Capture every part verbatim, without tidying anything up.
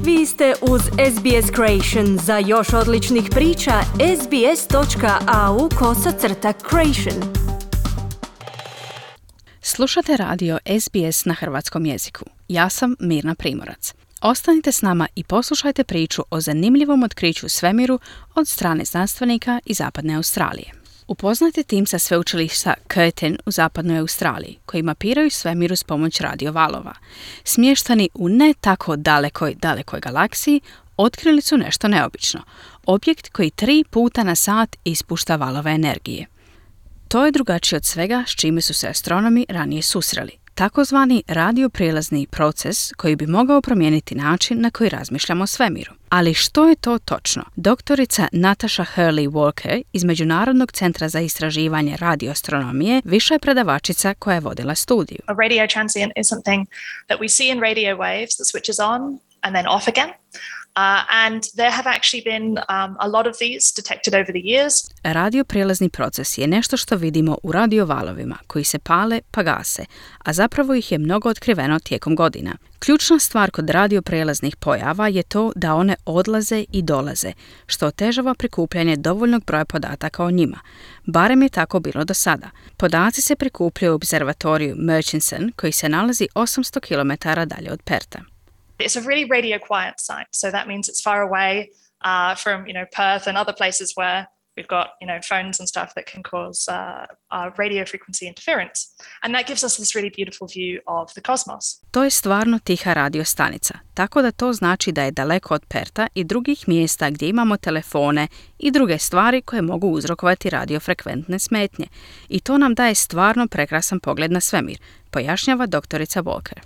Vi ste uz S B S Creation. Za još odličnih priča, sbs.au kosacrta creation. Slušate radio S B S na hrvatskom jeziku. Ja sam Mirna Primorac. Ostanite s nama i poslušajte priču o zanimljivom otkriću u svemiru od strane znanstvenika iz zapadne Australije. Upoznajte tim sa sveučilišta Curtin u zapadnoj Australiji, koji mapiraju svemir uz pomoć radiovalova. Smještani u ne tako dalekoj, dalekoj galaksiji, otkrili su nešto neobično. Objekt koji tri puta na sat ispušta valove energije. To je drugačije od svega s čime su se astronomi ranije susreli. Takozvani radioprijelazni proces koji bi mogao promijeniti način na koji razmišljamo o svemiru. Ali što je to točno? Doktorica Natasha Hurley-Walker iz Međunarodnog centra za istraživanje radioastronomije viša je predavačica koja je vodila studiju. A radio transient is something that we see in radio waves that switches on and then off again. Uh, and there have actually been um, a lot of these detected over the years. Radioprijelazni proces je nešto što vidimo u radiovalovima koji se pale pa gase, a zapravo ih je mnogo otkriveno tijekom godina. Ključna stvar kod radioprijelaznih pojava je to da one odlaze i dolaze, što otežava prikupljanje dovoljnog broja podataka o njima. Barem je tako bilo do sada. Podaci se prikupljaju u observatoriju Murchison koji se nalazi osamsto kilometara dalje od Perta. It's a really radio quiet site, so that means it's far away uh, from, you know, Perth and other places where we've got, you know, phones and stuff that can cause uh, uh, radio frequency interference. And that gives us this really beautiful view of the cosmos. To je stvarno tiha radiostanica, tako da to znači da je daleko od Perta i drugih mjesta gdje imamo telefone i druge stvari koje mogu uzrokovati radiofrekventne smetnje. I to nam daje stvarno prekrasan pogled na svemir, pojašnjava doktorica Walker.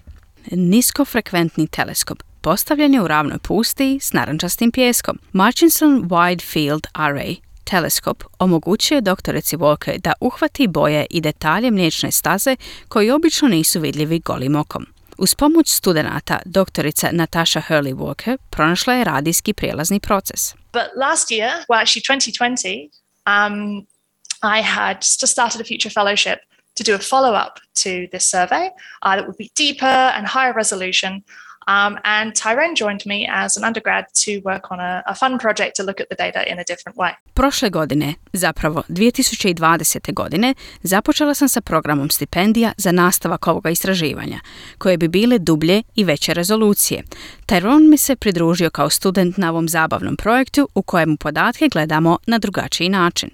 Niskofrekventni teleskop postavljen je u ravnoj pustiji s narančastim pijeskom. Murchison Wide Field Array teleskop omogućuje doktorici Walker da uhvati boje i detalje mliječne staze koji obično nisu vidljivi golim okom. Uz pomoć studenata, doktorica Natasha Hurley-Walker pronašla je radijski prijelazni proces. But last year, well actually twenty twenty, um, I had just started a future fellowship to do a follow-up to this survey uh, that would be deeper and higher resolution. Um, and Tyrone joined me as an undergrad to work on a, a fun project to look at the data in a different way. Prošle godine, zapravo dvije tisuće dvadesete. godine, započela sam sa programom stipendija za nastavak ovoga istraživanja, koje bi bile dublje i veće rezolucije. Tyrone mi se pridružio kao student na ovom zabavnom projektu u kojemu podatke gledamo na drugačiji način.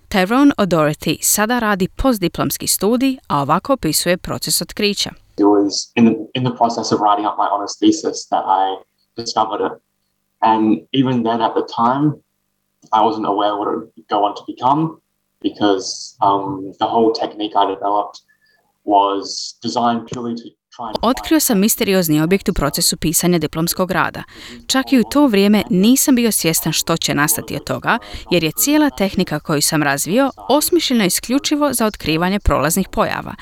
Tyrone O'Doherty sada radi postdiplomski studij, a ovako opisuje proces otkrića. It was in the, in the process of writing up my honors thesis that I discovered it. And even then at the time, I wasn't aware what it would go on to become because um, the whole technique I developed was designed purely to Otkrio sam misteriozni objekt u procesu pisanja diplomskog rada. Čak i u to vrijeme nisam bio svjestan što će nastati od toga, jer je cijela tehnika koju sam razvio osmišljena isključivo za otkrivanje prolaznih pojava.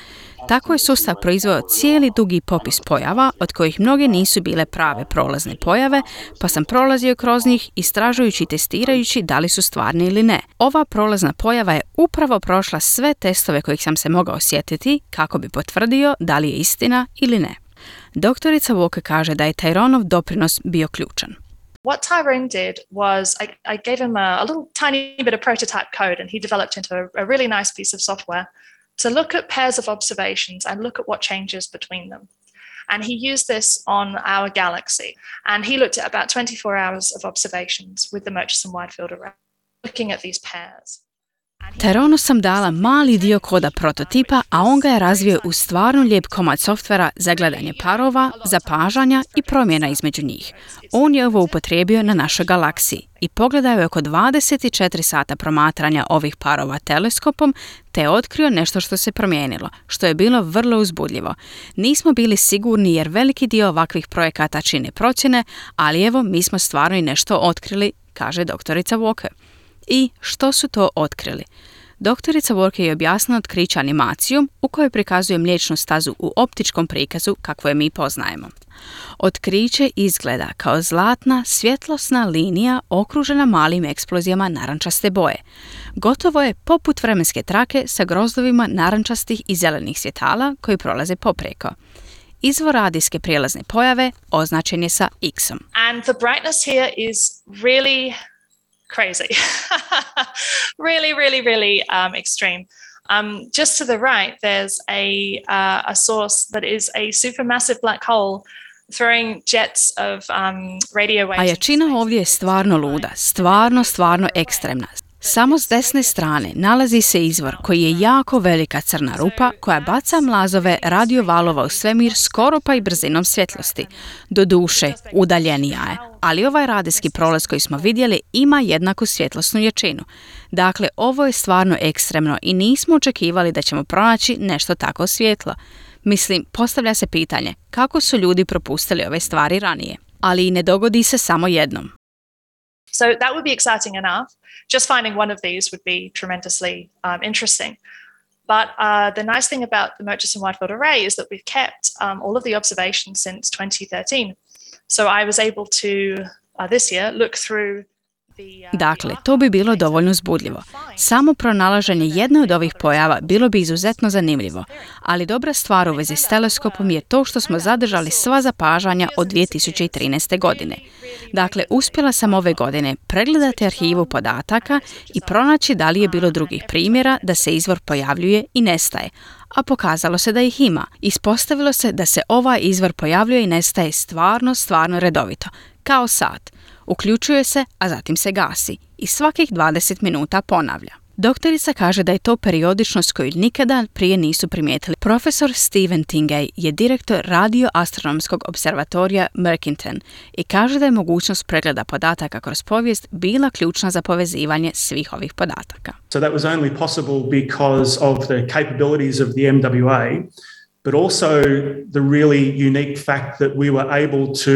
Tako je sustav proizveo cijeli dugi popis pojava, od kojih mnoge nisu bile prave prolazne pojave, pa sam prolazio kroz njih istražujući i testirajući da li su stvarne ili ne. Ova prolazna pojava je upravo prošla sve testove kojih sam se mogao sjetiti kako bi potvrdio da li je istina ili ne. Doktorica Walker kaže da je Tyronov doprinos bio ključan. What Tyrone did was I, I gave him a, a little tiny bit of prototype code and he developed into a, a really nice piece of software to look at pairs of observations and look at what changes between them. And he used this on our galaxy. And he looked at about twenty-four hours of observations with the Murchison Wide Field Array, looking at these pairs. Tyronu sam dala mali dio koda prototipa, a on ga je razvio u stvarno lijep komad softvera za gledanje parova, zapažanja i promjena između njih. On je ovo upotrijebio na našoj galaksiji i pogledao je oko dvadeset četiri sata promatranja ovih parova teleskopom te je otkrio nešto što se promijenilo, što je bilo vrlo uzbudljivo. Nismo bili sigurni jer veliki dio ovakvih projekata čine procjene, ali evo mi smo stvarno i nešto otkrili, kaže doktorica Walker. I što su to otkrili? Doktorica Walker je objasnila otkriće animacijom u kojoj prikazuje mliječnu stazu u optičkom prikazu kakvo je mi poznajemo. Otkriće izgleda kao zlatna, svjetlosna linija okružena malim eksplozijama narančaste boje. Gotovo je poput vremenske trake sa grozdovima narančastih i zelenih svjetala koji prolaze poprijeko. izvor radijske prijelazne pojave označen je sa X-om. And the brightness here is really crazy. really, really, really um, extreme. Um, just to the right, there's a, uh, a source that is a supermassive black hole throwing jets of um, radio waves. A jačina ovdje je stvarno luda, stvarno, stvarno ekstremna. Samo s desne strane nalazi se izvor koji je jako velika crna rupa koja baca mlazove radiovalova u svemir skoro pa i brzinom svjetlosti. Doduše, udaljenija je, ali ovaj radijski prolaz koji smo vidjeli ima jednaku svjetlosnu jačinu. Dakle, ovo je stvarno ekstremno i nismo očekivali da ćemo pronaći nešto tako svjetlo. Mislim, postavlja se pitanje kako su ljudi propustili ove stvari ranije, ali i ne dogodi se samo jednom. So that would be exciting enough. Just finding one of these would be tremendously um, interesting. But uh, the nice thing about the Murchison Wide Field Array is that we've kept um, all of the observations since twenty thirteen. So I was able to, uh, this year, look through Dakle, to bi bilo dovoljno uzbudljivo. Samo pronalaženje jedne od ovih pojava bilo bi izuzetno zanimljivo, ali dobra stvar u vezi s teleskopom je to što smo zadržali sva zapažanja od dvije tisuće trinaeste. godine. Dakle, uspjela sam ove godine pregledati arhivu podataka i pronaći da li je bilo drugih primjera da se izvor pojavljuje i nestaje, a pokazalo se da ih ima. Ispostavilo se da se ovaj izvor pojavljuje i nestaje stvarno, stvarno redovito, kao sat. Uključuje se, a zatim se gasi i svakih dvadeset minuta ponavlja. Doktorica kaže da je to periodičnost koju nikada prije nisu primijetili. Profesor Steven Tingay je direktor radioastronomskog observatorija Merkinton i kaže da je mogućnost pregleda podataka kroz povijest bila ključna za povezivanje svih ovih podataka. So that was only possible because of the capabilities of the M W A, but also the really unique fact that we were able to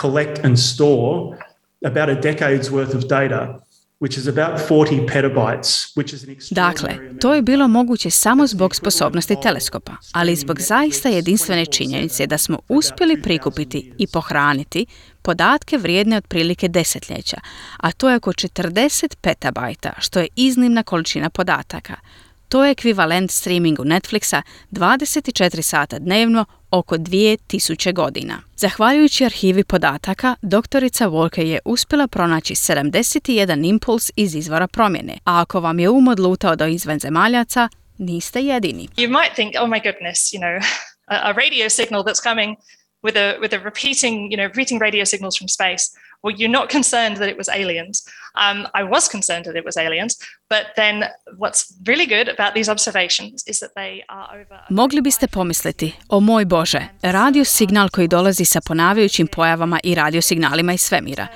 collect and store about a decade's worth of data, which is about forty petabytes, which is an extraordinary Dakle, amount. to je bilo moguće samo zbog sposobnosti teleskopa, ali zbog zaista jedinstvene činjenice da smo uspjeli prikupiti i pohraniti podatke vrijedne otprilike desetljeća, a to je oko četrdeset petabajta, što je iznimna količina podataka. To je ekvivalent streamingu Netflixa dvadeset četiri sata dnevno oko dvije tisuće godina. Zahvaljujući arhivi podataka, doktorica Walker je uspjela pronaći sedamdeset jedan impuls iz izvora promjene, a ako vam je um odlutao do izvanzemaljaca, niste jedini. You might think, oh my goodness, you know, a, a radio signal that's coming with a with a repeating, you know, repeating radio signals from space. Well, you're not concerned that it was aliens. Um, I was concerned that it was aliens, but then what's really good about these observations is that they are over... Mogli biste pomisliti, o moj Bože, radio signal koji dolazi sa ponavljajućim pojavama i radiosignalima iz svemira.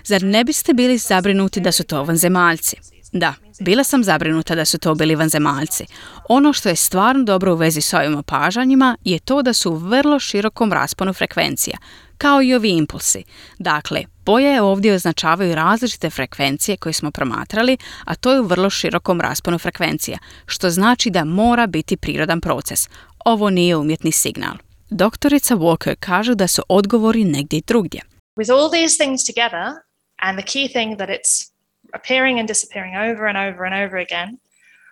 Zar ne biste bili zabrinuti da su to vanzemaljci? Da, bila sam zabrinuta da su to bili vanzemaljci. Ono što je stvarno dobro u vezi s ovim opažanjima je to da su u vrlo širokom rasponu frekvencija, kao i ovi impulsi. Dakle, boje ovdje označavaju različite frekvencije koje smo promatrali, a to je u vrlo širokom rasponu frekvencija, što znači da mora biti prirodan proces. Ovo nije umjetni signal. Doktorica Walker kaže da su odgovori negdje drugdje. With all these things together, and the key thing that it's appearing and disappearing over and over and over again,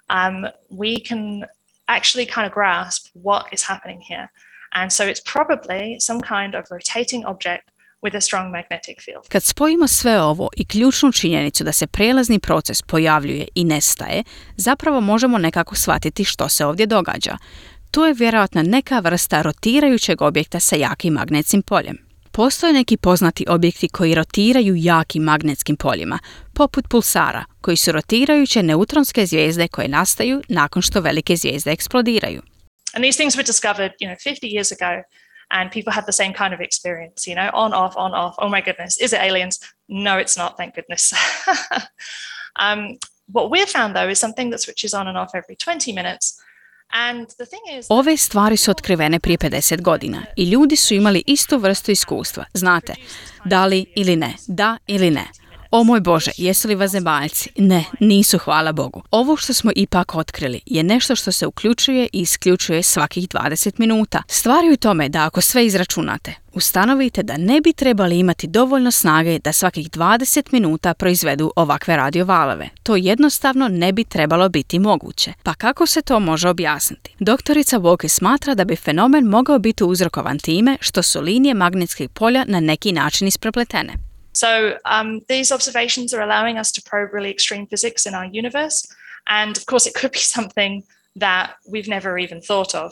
um, we can actually kind of grasp what is happening here. And so it's probably some kind of rotating object with a strong magnetic field. Kad spojimo sve ovo i ključnu činjenicu da se prijelazni proces pojavljuje i nestaje, zapravo možemo nekako shvatiti što se ovdje događa. To je vjerojatno neka vrsta rotirajućeg objekta sa jakim magnetskim poljem. Postoje neki poznati objekti koji rotiraju jakim magnetskim poljima, poput pulsara, koji su rotirajuće neutronske zvijezde koje nastaju nakon što velike zvijezde eksplodiraju. And these things were discovered, you know, fifty years ago, and people had the same kind of experience, you know, on, off, on, off. Oh my goodness, is it aliens? No, it's not, thank goodness. um, what we've found, though, is something that switches on and off every twenty minutes. And the thing is... Ove stvari su otkrivene prije pedeset godina i ljudi su imali istu vrstu iskustva, znate, da li ili ne, da ili ne. O moj Bože, jesu li vanzemaljci? Ne, nisu, hvala Bogu. Ovo što smo ipak otkrili je nešto što se uključuje i isključuje svakih dvadeset minuta. Stvar je u tome da ako sve izračunate, ustanovite da ne bi trebali imati dovoljno snage da svakih dvadeset minuta proizvedu ovakve radiovalove. To jednostavno ne bi trebalo biti moguće. Pa kako se to može objasniti? Doktorica Walker smatra da bi fenomen mogao biti uzrokovan time što su linije magnetskih polja na neki način isprepletene. So um, these observations are allowing us to probe really extreme physics in our universe. And of course, it could be something that we've never even thought of.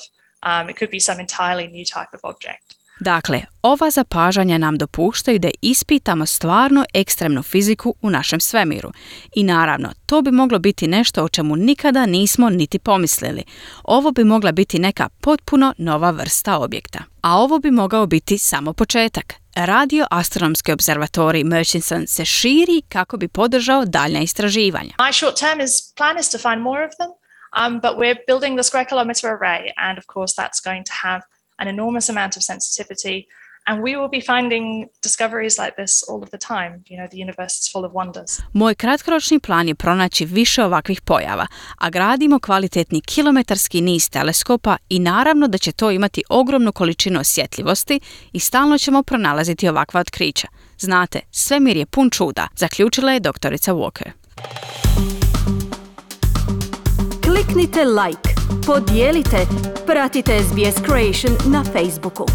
Um, it could be some entirely new type of object. Dakle, ova zapažanja nam dopuštaju da ispitamo stvarno ekstremnu fiziku u našem svemiru. I naravno, to bi moglo biti nešto o čemu nikada nismo niti pomislili. Ovo bi mogla biti neka potpuno nova vrsta objekta. A ovo bi mogao biti samo početak. Radio-astronomski observatorij Murchison se širi kako bi podržao daljnja istraživanja. My short term is plan is to find more of them, um, but we're building the square kilometre array, and of course that's going to have an enormous amount of sensitivity, and we will be finding discoveries like this all of the time. You know, the universe is full of wonders. Moj kratkoročni plan je pronaći više ovakvih pojava, a gradimo kvalitetni kilometarski niz teleskopa i naravno da će to imati ogromnu količinu osjetljivosti i stalno ćemo pronalaziti ovakva otkrića. Znate, svemir je pun čuda, zaključila je doktorica Walker. Kliknite like, podijelite, pratite S B S Creation na Facebooku.